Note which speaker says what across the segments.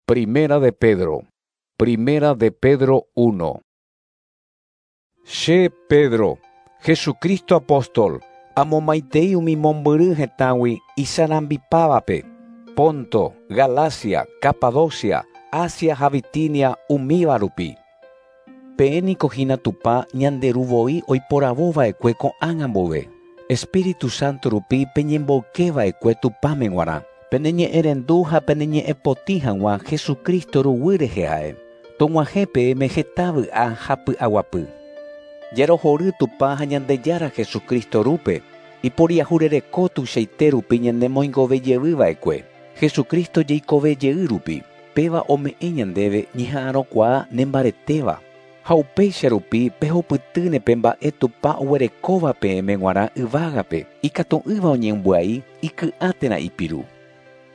Speaker 1: Primera de Pedro. Primera de Pedro 1. Che, Pedro, Jesucristo apóstol, amomaitei umi mombyry hetãgui isarambipávape, Ponto, Galacia, Capadocia, Asia ha Bitinia umíva rupi. Peẽ niko hína Tupã ñande Ru voi oiporavo va'ekue ko'ág̃a mboyve. Espíritu Santo rupi peñemboyke va'ekue Tupãme g̃uarã, pene ñe'ẽrendu ha pene ñe'ẽ potĩ hag̃ua Jesucristo ruguy rehe ha'e. Tog̃uahẽ peẽme heta vy'a ha py'aguapy. Jarohory Tupã ha Ñandejára Jesucristo Rúpe, iporiahurereko tuichaite rupi ñanemoingove jevy va'ekue, Jesucristo jeikove jey rupi, péva ome'ẽ ñandéve ñeha'arõkuaa nembaretéva. Ha upéicha rupi pehupytýne pe mba'e Tupã oguerekóva peẽme g̃uarã yvágape, ikatu'ỹva oñembyai, iky'a térã ipiru.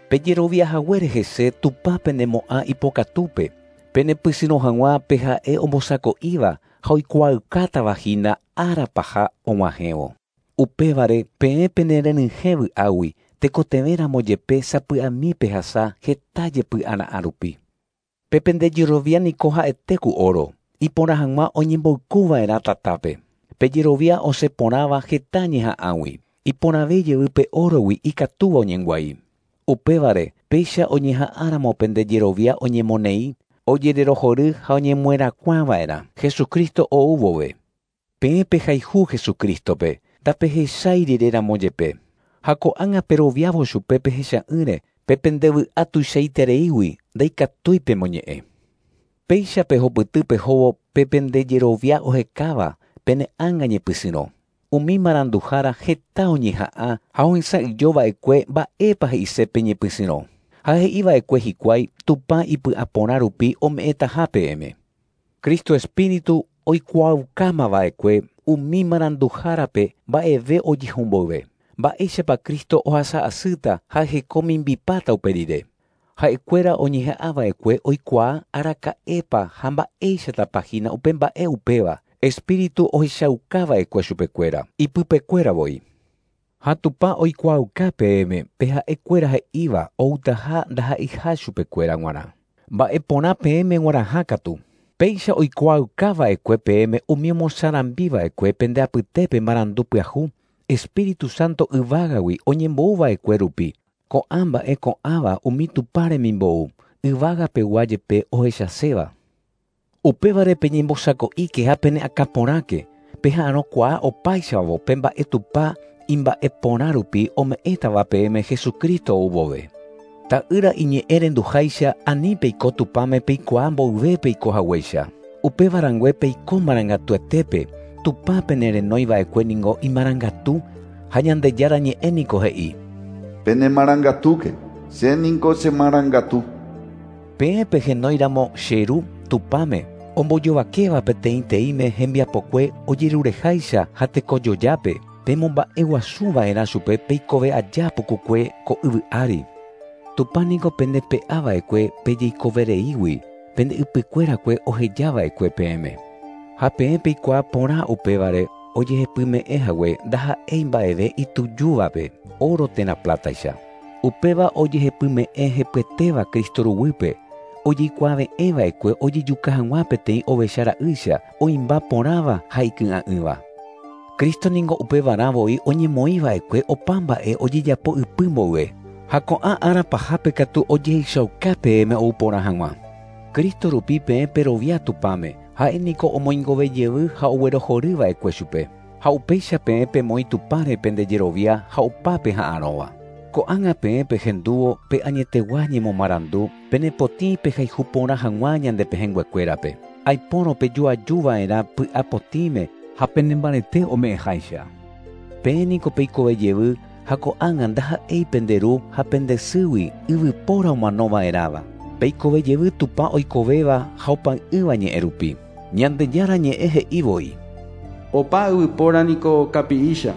Speaker 1: Pejerovia haguére hese Tupã penemo'ã ipokatúpe, penepysyrõ hag̃ua pe ha'e ombosako'íva ha oikuaaukátava hína ára paha og̃uahẽvo. Upévare peẽ penerenyhẽ vy'águi tekotevẽramo jepe sapy'ami pehasa heta jepy'ara'ã rupi. Pe pendejerovia niko ha'ete ku oro, iporã hag̃ua oñemboykuva'erã tatápe. Pejerovia osẽ porãva heta ñeha'ãgui, iporãve jey pe órogui ikatúva oñembyai. Upévare péicha oñeha'ãramo pendejerovia oñemoneĩ, ojererohory ha oñemoherakuãva'erã Jesucristo ou vove. Peẽ pehayhu Jesucristo-pe, ndapehechái riréramo jepe. Ha ko'ág̃a peroviávo chupe pehecha'ỹre, pe pendevy'a tuichaitereígui ndaikatúi pemoñe'ẽ. Péicha pehupyty pehóvo pe pendejerovia ohekáva pene ánga ñepysyrõ. Umi maranduhára heta oñeha'ã ha ohesa'ỹijova'ekue mba'épa he'ise pe ñepysyrõ. Ha he'iva'ekue hikuái Tupã ipy'aporã rupi ome'ẽtaha peẽme. Cristo Espíritu oikuaaukámava'ekue umi maranduhárape mba'eve ojehu mboyve. Mba'éichapa Cristo ohasa'asýta ha hekomimbipáta upe rire. Ha'ekuéra oñeha'ãva'ekue oikuaa araka'épa ha mba'éichatapa hína upe mba'e upéva Espíritu ohechaukava'ekue chupekuéra, ipypekuéra voi. Ha Tupã oikuaauka peẽme pe ha'ekuéra he'íva outaha ndaha'eiha chupekuéra g̃uarã. Mba'eporã peẽme g̃uarãha katu. Péicha oikuaaukava'ekue peẽme umi omosarambiva'ekue pende apytépe marandu pyahu, Espíritu Santo yvágagui oñembouva'ekue rupi, ko'ã mba'e ko'ãva umi Tupã remimbou, yvágapegua jepe ohechaséva. Upévare peñembosako'íke ha pene'akãporãke, peha'arõkuaa opáichavo pe mba'e Tupã imba'eporã rupi ome'ẽtava peẽme Jesucristo ou vove. Ta'ýra iñe'ẽrenduháicha ani peiko Tupãme peikuaa mboyve peiko haguéicha. Upéva rangue peiko marangatuetépe, Tupã penerenóiva'ekue ningo imarangatu ha Ñandejára ñe'ẽ niko he'i.
Speaker 2: Penemarangatúke, che niko chemarangatu.
Speaker 1: Peẽ pehenóiramo che Ru Tupãme, ombojovakéva peteĩteĩme hembiapokue ojerureháicha ha tekojojápe, pemomba'eguasuva'erã chupe peikove aja pukukue ko yvy ári. Tupã niko pendepe'ava'ekue pejeikovereígui, pende ypykuérakue ohejava'ekue peẽme. Ha peẽ peikuaa porã upévare ojehepyme'ẽ hague ndaha'éi mba'eve itujúvape, oro térã plátaicha. Upéva ojehepyme'ẽ hepyetéva Cristo ruguýpe, ojeikuaave'ẽva'ekue ojejuka hag̃ua peteĩ ovecha ra'ýicha oĩmba porãva ha iky'a'ỹva. Cristo ningo upevarã voi oñemoĩva'ekue opa mba'e ojejapo ypy mboyve, ha ko'ã ára pahápe katu ojehechauka peẽme ou porã hag̃ua. Cristo rupi peẽ perovia Tupãme, ha'e niko omoingove jey ha oguerohoryva'ekue chupe. Ha upéicha peẽ pemoĩ Tupãre pendejerovia ha opa peha'arõva. Ko'ág̃a peẽ pehendúvo pe añetegua ñemomarandu, penepotĩ pehayhu porã hag̃ua ñande pehẽnguekuérape. Aipórõ pejoajuva'erã py'apotĩme ha penembarete ome'ẽháicha. Peẽ niko peikove jey ha ko'ág̃a ndaha'éi pende ru ha pende sýgui yvypóra omanova'erãva. Peikove jey Tupã oikovéva ha opa'ỹva ñe'ẽ rupi. Ñandejára ñe'ẽ he'i voi.
Speaker 3: Opa yvypóra niko kapi'ícha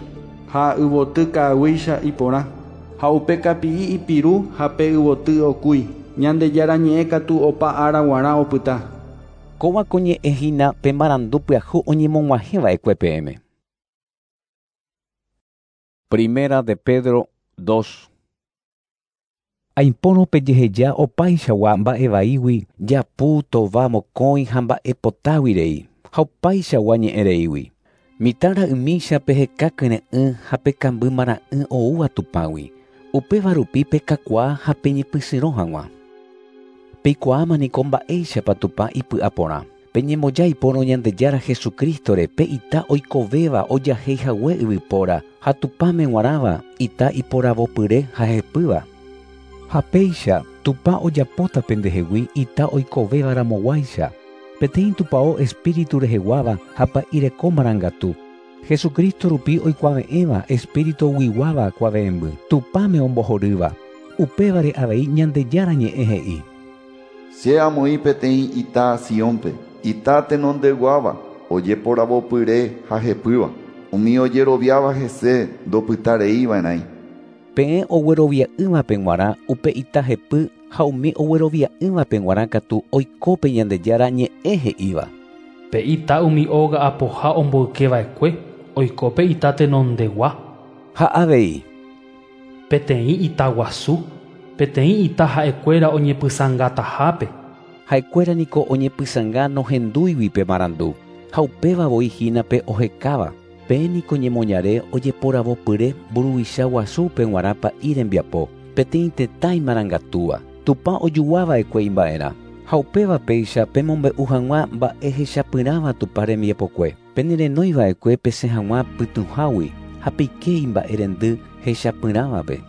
Speaker 3: ha yvoty ka'aguýicha iporã. Ha upe kapi'i ipiru ha pe yvoty okúi. Ñandejára ñe'ẽ katu opa ára g̃uarã opyta.
Speaker 1: Kóva ko ñe'ẽ hína pe marandu pyahu oñemog̃uahẽva'ekue peẽme. Primera de Pedro 2. Aipórõ pejeheja opaichagua mba'evaígui japu tova mokõi ha mba'epotágui rei ha opaichagua ñe'ẽ reígui. Mitã ra'ymícha peheka kyre'ỹ ha pekamby mara'ỹ oúva Tupãgui. Upéva rupi pekakuaa ha peñepysyrõ hag̃ua. Peikuaáma niko mba'éichapa Tupã ipy'aporã. Peñemboja ipórõ Ñandejára Jesucristore pe ita oikovéva ojaheihague yvypóra ha Tupãme g̃uarãva ita iporavopyre ha hepýva. Ha péicha Tupã ojapóta pendehegui ita oikovéva ramoguáicha. Peteĩ tupão espíritu reheguáva ha pa'ireko marangatu. Jesucristo rupi oikuave'ẽva espíritu guiguáva kuave'ẽmby. Tupãme ombohorýva. Upévare avei Ñandejára ñe'ẽ he'i.
Speaker 2: Che amoĩ peteĩ ita Siónpe, ita tenondeguáva ojeporavopyre ha hepýva. Umi ojeroviáva hese ndopytareiva'erãi.
Speaker 1: Peẽ oguerovia'ỹvape g̃uarã upe ita hepy ha umi oguerovia'ỹvape g̃uarã katu oiko pe Ñandejára ñe'ẽ he'íva.
Speaker 4: Pe ita umi óga apoha omboykeva'ekue oiko pe ita tenondegua.
Speaker 1: Ha avei.
Speaker 4: Peteĩ ita guasu, peteĩ ita ha'ekuéra oñepysãngatahápe.
Speaker 1: Ha'ekuéra niko oñepysãnga nohendúigui pe marandu ha upéva voi hína pe ohekáva. Peẽ niko ñemoñare ojeporavopyre mburuvicha guasúpe g̃uarã pa'i rembiapo, peteĩ tetã imarangatúva. Tupã ojuguava'ekue imba'erã. Ha upéva péicha pemombe'u hag̃ua mba'e hechapyrãva Tupã rembiapokue. Penerenóiva'ekue pesẽ hag̃ua pytũhágui ha peike imba'erendy hechapyrãvape.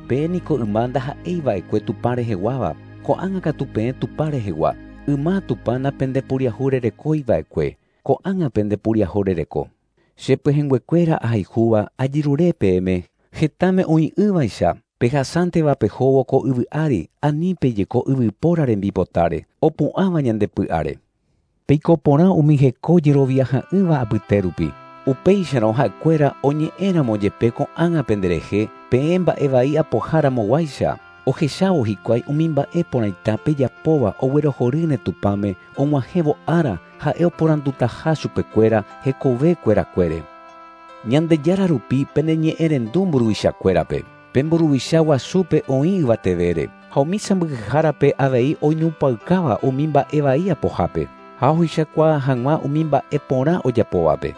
Speaker 1: Peẽ niko yma ndaha'eiva'ekue Tupã reheguáva, ko'ág̃a katu peẽ Tupã rehegua. Yma Tupã napendepuriahurerekóiva'ekue, ko'ág̃a pendepuriahurereko. Che pehẽnguekuéra ahayhúva ajerure peẽme hetãme oĩ'ỹvaicha pehasánteva pehóvo ko yvy ári ani pejeko yvypóra rembipotáre opu'ãva ñande py'áre. Peiko porã umi heko jeroviaha'ỹva apyte rupi. Upéicharõ ha'ekuéra oñe'ẽramo jepe ko'ág̃a penderehe peẽ mba'evai apoháramoguáicha. Ohechávo hikuái umi mba'e porãita pejapóva oguerohorýne Tupãme og̃uahẽvo ára ha'e oporandutaha chupekuéra hekovekuerakuére. Ñandejára rupi peneñe'ẽrendu mburuvichakuérape. Pe mburuvicha guasúpe oĩ yvatevére ha umi sãmbyhyhárape avei oinupãukáva umi mba'evai apohápe ha ohechakuaa hag̃ua umi mba'e porã ojapóvape.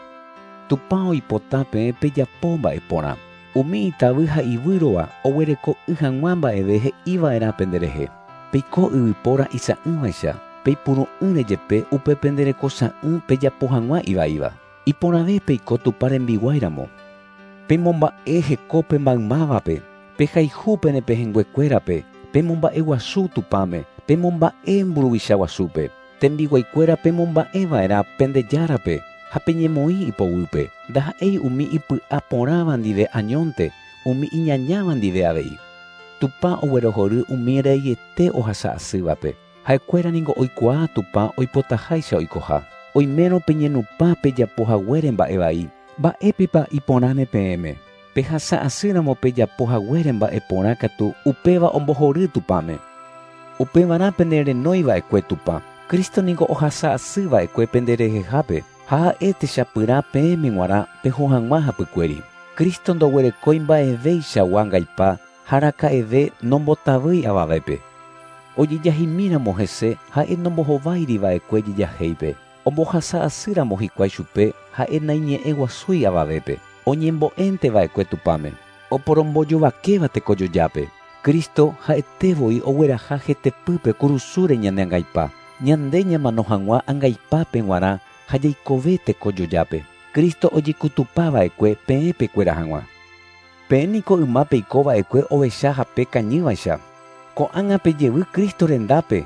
Speaker 1: Tupã oipota peẽ pejapo mba'e porã. Umi itavy ha ivýrova oguereko'ỹ hag̃ua mba'eve he'iva'erã penderehe. Peiko yvypóra isa'ỹvaicha, peipuru'ỹre jepe upe penderekosa'ỹ pejapo hag̃ua ivaíva. Iporãve peiko Tupã rembiguáiramo. Pemomba'e hekópe maymávape, pehayhu pene pehẽnguekuérape, pemomba'eguasu Tupãme, pemomba'e mburuvicha guasúpe. Tembiguaikuéra pemomba'eva'erã pendejárape ha peñemoĩ ipoguýpe. Ndaha'éi umi ipy'aporãva ndive añónte, umi iñañáva ndive avei. Tupã oguerohory umi reiete ohasa'asývape. Ha'ekuéra niko oikuaa Tupã oipotaháicha oikoha. Oimérõ peñenupã pejapohaguére mba'evai. Mba'épepa iporãne peẽme. Pehasa'asýramo pejapohaguére mba'e porã katu upéva ombohory Tupãme. Upevarã penerenóiva'ekue Tupã. Cristo niko ohasa'asýva'ekue penderehehápe ha ha'e techapyrã peẽme g̃uarã peho hag̃ua hapykuéri. Cristo ndoguerekói mba'evéichagua angaipa ha araka'eve nombotavýi avavépe. Ojejahimíramo hese ha'e nombohováiriva'ekue jejahéipe. Ombohasa'asýramo hikuái chupe ha'e naiñe'ẽguasúi avavépe. Oñembo'énteva'ekue Tupãme. Oporombojovakéva tekojojápe. Cristo ha'etévoi ogueraha hetepýpe kurusúre ñane angaipa. Ñande ñamano hag̃ua angaipápe g̃uarã ha jaikove tekojojápe. Cristo ojekutupava'ekue peẽ pekuera hag̃ua. Peẽ niko yma peikova'ekue ovecha hape kañývaicha. Ko'ág̃a pejevy Cristo rendápe,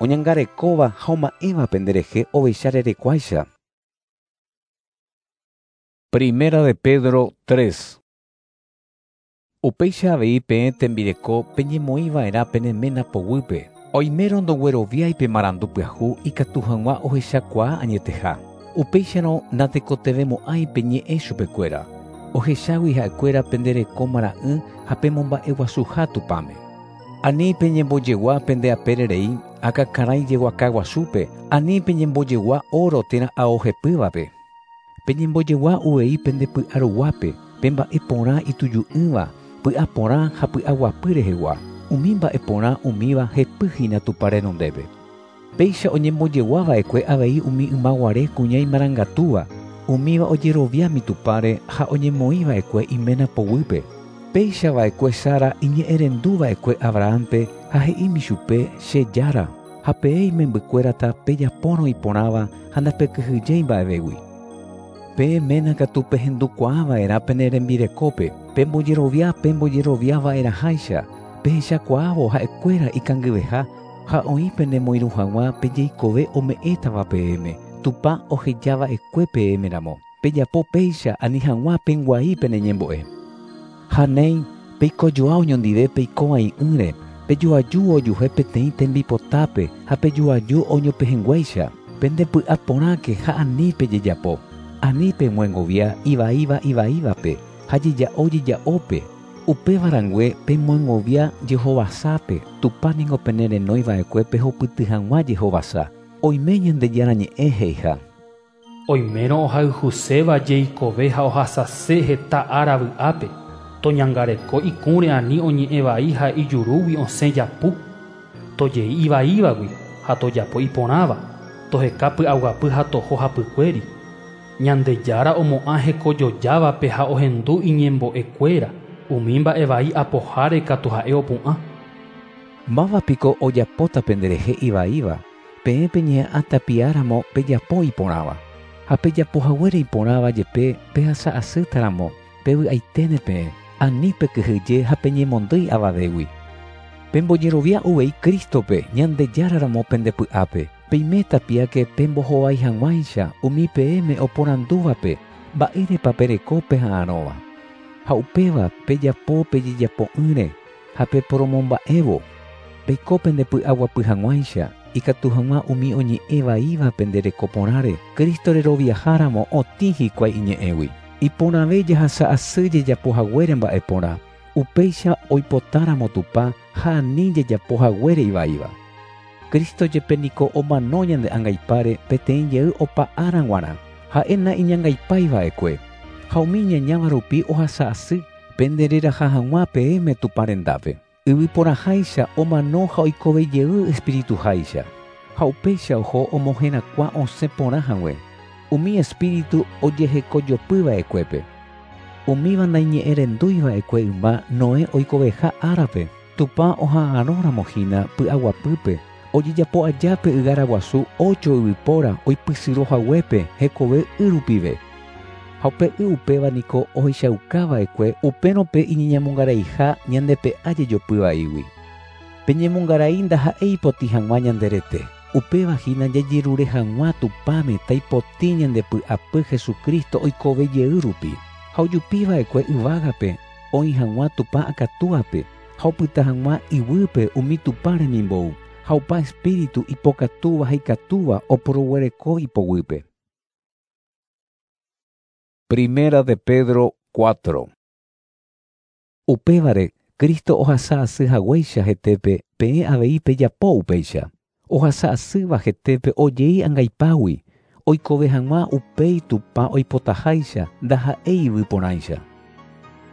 Speaker 1: oñangarekóva ha oma'ẽva penderehe ovecha rerekuáicha. Primera de Pedro 3. Upéicha avei peẽ tembireko peñemoĩva'erã pene ména poguýpe. Oimérõ ndogueroviái pe marandu pyahu ikatu hag̃ua ohechakuaa añeteha. Upéicharõ natekotevẽmo'ãi peñe'ẽ chupekuéra. Ohechágui ha'ekuéra pendereko mara'ỹ ha pemomba'eguasuha Tupãme. Ani peñembojegua pende apére rei akãkarãi jeguaka guasúpe, ani peñembojegua oro térã ao hepývape. Peñembojegua uvei pende py'aruguápe, pe mba'e porã ituju'ỹva, py'aporã ha py'aguapy rehegua. Umi mba'e porã umíva hepy hína Tupã renondépe. Péicha oñembojeguava'ekue avei umi ymaguare kuña imarangatúva, umíva ojeroviámi Tupãre ha oñemoĩva'ekue iména poguýpe. Péicha va'ekue Sara iñe'ẽrenduva'ekue Abrahampe ha he'ími chupe che jára, ha peẽ imembykuérata pejapórõ iporãva ha ndapekyhyjéi mba'evégui. Peẽ ména katu pehendukuaava'erã pene rembirekópe, pembojerovia pembojeroviava'erãháicha, pehechakuaávo ha'ekuéra ikangyveha ha oĩ penemoirũ hag̃ua pejeikove ome'ẽtava peẽme, Tupã ohejava'ekue peẽmeramo. Pejapo péicha ani hag̃ua pengua'i pene ñembo'e. Ha néi peikojoa oñondive peikovai'ỹre, pejoaju ojuhe peteĩ tembipotápe ha pejoaju oñopehẽnguéicha. Pendepy'aporãke ha ani pejejapo. Ani pemyengovia ivaíva ivaívape ha jeja'o jeja'ópe. Upéva rangue pemyengovia jehovasápe, Tupã niko penerenóiva'ekue pehupyty hag̃ua jehovasa. Oime Ñandejára ñe'ẽ he'iha.
Speaker 4: Oimérõ ohayhuséva jeikove ha ohasase heta ára vy'ápe, toñangareko ikũre ani oñe'ẽ vai ha ijurúgui osẽ japu, tojei ivaívagui ha tojapo iporãva, toheka py'aguapy ha toho hapykuéri. Ñandejára omo'ã hekojojávape ha ohendu iñembo'ekuéra, umi mba'e vai apoháre katu ha'e opu'ã.
Speaker 1: Mávapiko ojapóta penderehe ivaíva, peẽ peñeha'ã tapiáramo pejapo iporãva. Ha pejapohaguére iporãva jepe pehasa asýtaramo pevy'aiténe peẽ, ani pekyhyje ha peñemondýi avavégui. Pembojerovia uvei Cristope Ñandejáraramo pendepy'ápe, peime tapiáke pembohovái hag̃uáicha umi peẽme oporandúvape mba'érepa pereko peha'arõva. Ha upéva pejapo pejejapo'ỹre ha peporomomba'évo. Peiko pendepy'aguapy hag̃uáicha ikatu hag̃ua umi oñe'ẽ vaíva pende reko porãre, Cristo reroviaháramo otĩ hikuái iñe'ẽgui. Iporãve jahasa asy jejapohaguére mba'e porã, upéicha oipotáramo Tupã ha ani jejapohaguére ivaíva. Cristo jepe niko omano ñande angaipáre peteĩ jey opa ára g̃uarã, ha'e naiñangaipáiva'ekue. Ha umi ñañáva rupi ohasa asy pendereraha hag̃ua peẽme Tupã rendápe. Yvyporaháicha omano ha oikove jey espirituháicha. Ha upéicha oho omoherakuã osẽ porã hague. Umi espíritu ojehekojopyva'ekuépe. Umíva naiñe'ẽrendúiva'ekue yma Noé oikoveha árape. Tupã oha'arõramo hína py'aguapýpe, ojejapo ajápe ygára guasu ocho yvypóra oipysyrõhaguépe hekove y rupive. Ha upe y upéva niko ohechaukava'ekue upérõ pe iñeñamongaraiha ñandepe'a jejopyvaígui. Peñemongarai ndaha'éi ipotĩ hag̃ua ñande rete. Upéva hína jajerure hag̃ua Tupãme taipotĩ ñandepy'apy Jesucristo oikove jey rupi. Ha ojupiva'ekue yvágape oĩ hag̃ua Tupã akatúape ha opyta hag̃ua iguýpe umi Tupã remimbou ha opa espíritu ipokatúva ha ikatúva oporoguereko ipoguýpe. Primera de Pedro 4. Upévare Cristo ohasa asy haguéicha hetépe peẽ avei pejapo upéicha. Ohasa asýva hetépe ojei angaipágui, oikove hag̃ua upéi Tupã oipotaháicha ndaha'éi yvyporãicha.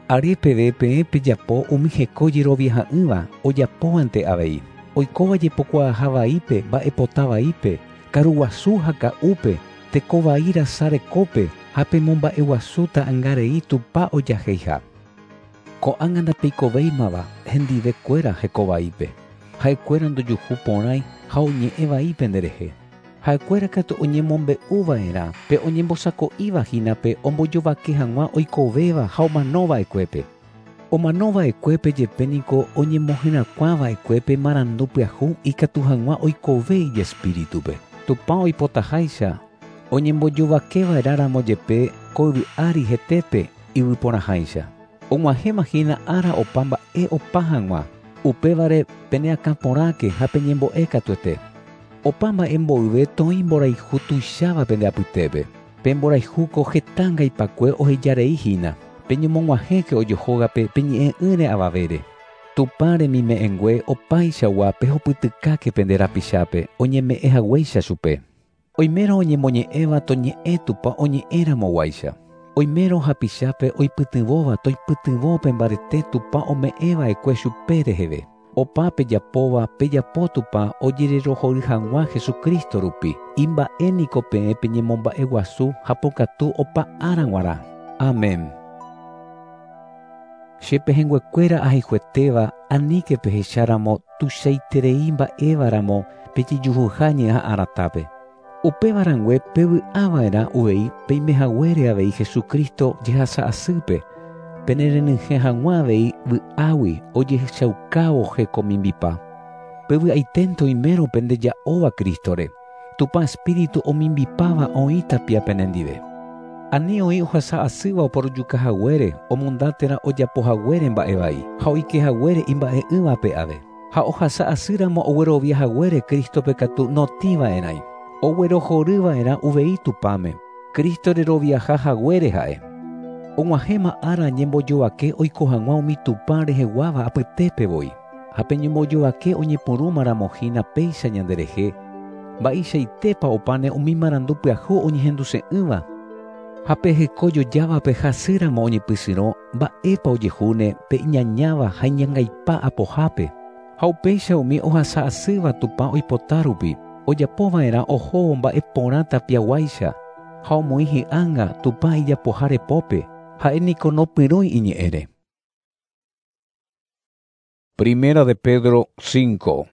Speaker 1: Are peve peẽ pejapo umi heko jeroviaha'ỹva ojapóvante avei. Oikóva jepokuaaha vaípe mba'epota vaípe, karuguasu ha ka'úpe, teko vai rasa rekópe ha pemomba'eguasu ta'ãngarei Tupã ojaheiha. Ko'ág̃a ndapeikovéimava hendivekuéra hekovaípe. Ha'ekuéra ndojuhu porãi ha oñe'ẽ vai penderehe. Ha'ekuéra katu oñemombe'uva'erã pe oñembosako'íva hínape ombojovake hag̃ua oikovéva ha omanova'ekuépe. Omanova'ekuépe jepe niko oñemoherakuãva'ekuépe marandu pyahu ikatu hag̃ua oikove ijespíritupe. Tupã oipotaháicha oñembojovakeva'erãramo jepe ko yvy ári hetépe yvyporãháicha. Og̃uahẽma hína ára opa mba'e opa hag̃ua. Upévare peneakãporãke ha peñembo'e katuete. Opa mba'e mboyve toĩ mborayhu tuicháva pende apytépe. Pe mborayhúko heta angaipakue ohejarei hína. Peñemog̃uahẽke ojohógape peñe'ẽ'ỹre avavére. Tupã remime'ẽngue opaichagua pehupytykáke pende rapichápe oñeme'ẽ haguéicha chupe. Oimérõ oñemoñe'ẽva toñe'ẽ Tupã oñe'ẽramoguáicha. Oimérõ hapichápe oipytyvõva toipytyvõ pe mbarete Tupã ome'ẽva'ekue chupe reheve. Opa pejapóva pejapo Tupã ojererohory hag̃ua Jesucristo rupi. Imba'e niko peẽ peñemomba'eguasu ha pokatu opa ára g̃uarã. Amén. Che pehẽnguekuéra ahayhuetéva aníke pehecháramo tuichaiterei mba'évaramo pejejuhuha ñeha'ãratápe. Upéva rangue pevy'ava'erã uvei peimehaguére avei Jesucristo jehasa'asýpe penerenyhẽ hag̃ua avei vy'águi ojehechaukávo hekomimbipa. Pevy'aiténte oimérõ pendeja'óva Cristore. Tupã Espíritu omimbipáva oĩ tapia penendive. Ani oĩ ohasa'asýva oporojukahaguére omonda térã ojapohaguére mba'evai ha oikehaguére imba'e'ỹvape ave. Ha ohasa'asýramo ogueroviahaguére Cristope katu notĩva'erãi. Oguerohoryva'erã uvei Tupãme. Cristo reroviaha haguére ha'e. Og̃uahẽma ára ñembojovake oiko hag̃ua umi Tupã reheguáva apytépe voi. Ha pe ñembojovake oñepyrũmaramo hína péicha ñanderehe, mba'eichaitépa opáne umi marandu pyahu oñehenduse'ỹva. Ha pe hekojojávape hasýramo oñepysyrõ mba'épa ojehúne pe iñañáva ha iñangaipa apohápe. Ha upéicha umi ohasa'asýva Tupã oipota rupi, ojapova'erã ohóvo mba'e porã tapiaguáicha ha omoĩ hi'ánga Tupã ijapoha repópe, ha'e niko nopyrũi iñe'ẽre.
Speaker 5: Primera de Pedro 5.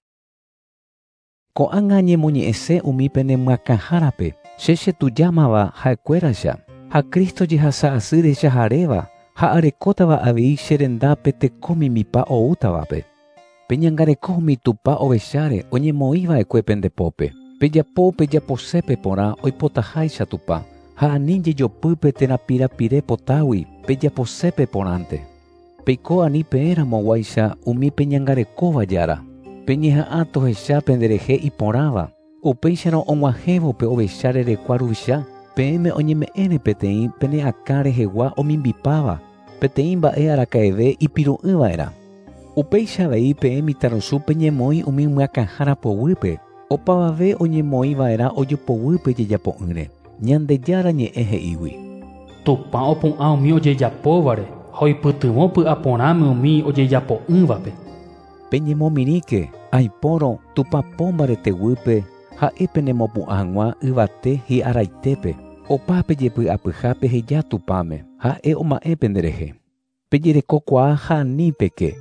Speaker 1: Ko'ág̃a ñemoñe'ẽse umi penemyakãhárape, che chetujámava ha'ekuéraicha, ha Cristo jehasa'asy rechaharéva ha arekótava avei che rendápe teko mimbipa oútavape. Peñangareko umi Tupã ovecháre oñemoĩva'ekue pendepópe. Pejapo pejaposépe porã oipotaháicha Tupã, ha ani jejopýpe térã pirapire potágui pejaposépe porãnte. Peiko ani peẽramoguáicha umi peñangarekóva jára. Peñeha'ã tohecha penderehe iporãva. Upéicharõ og̃uahẽvo pe ovecha rerekua ruvicha, peẽme oñeme'ẽre peteĩ pene akã rehegua omimbipáva, peteĩ mba'e araka'eve ipiru'ỹva'erã. Upéicha avei peẽ mitãrusu peñemoĩ umi myakãhára poguýpe, opavave oñemoĩva'erã ojopoguýpe jejapo'ỹre. Ñandejára ñe'ẽ he'ígui.
Speaker 4: Tupã opu'ã umi ojejapóvare ha oipytyvõ py'aporãme umi ojejapo'ỹvape.
Speaker 1: Peñemomirĩke aipórõ Tupã po mbareteguýpe ha'e penemopu'ã hag̃ua yvate hi'araitépe. Opa pejepy'apyha peheja Tupãme, ha'e oma'ẽ penderehe. Pejerekokuaa ha ani peke,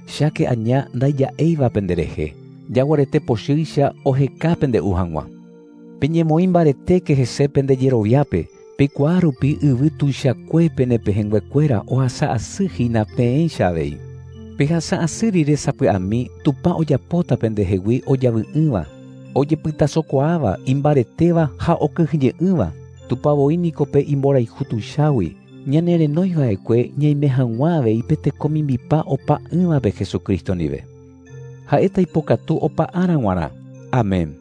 Speaker 1: cháke aña ndaija'éiva penderehe, jaguarete pochýicha oheka pende'u hag̃ua. Peñemoĩ mbaretéke hese pendejeroviápe, peikuaa rupi yvy tuichakue penepehẽnguekuéra ohasa'asy hína peẽicha avei. Pehasa'asy rire sapy'ami Tupã ojapóta pendehegui ojavy'ỹva, ojepytasokuaáva, imbaretéva ha okyhyje'ỹva. Tupã voi niko pe imborayhu tuichágui, ñanerenóiva'ekue ñaime hag̃ua avei pe teko mimbipa opa'ỹvape Jesucristo ndive. Ha'éta ipokatu opa ára g̃uarã. Amén.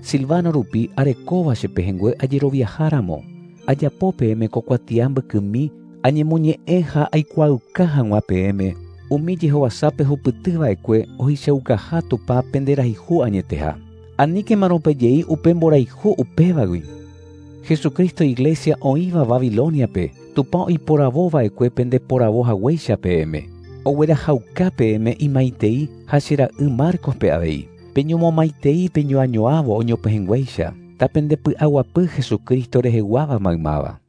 Speaker 1: Silvano rupi arekóva che pehẽngue ajeroviaháramo, ajapo peẽme ko kuatia mbykymi añemoñe'ẽ ha aikuaauka hag̃ua peẽme umi jehovasápe hupytyva'ekue ohechaukaha Tupã penderayhu añeteha. Aníkemarõ pejei upe mborayhu upévagui. Jesucristo Iglesia oĩva Babiloniape, Tupã oiporavova'ekue pendeporavo haguéicha peẽme. Oguerahauka peẽme imaitei ha che ra'y Marcospe avei. Peñomomaitei peñoañoávo oñopehẽnguéicha, tapendepy'aguapy Jesucristo reheguáva maymáva.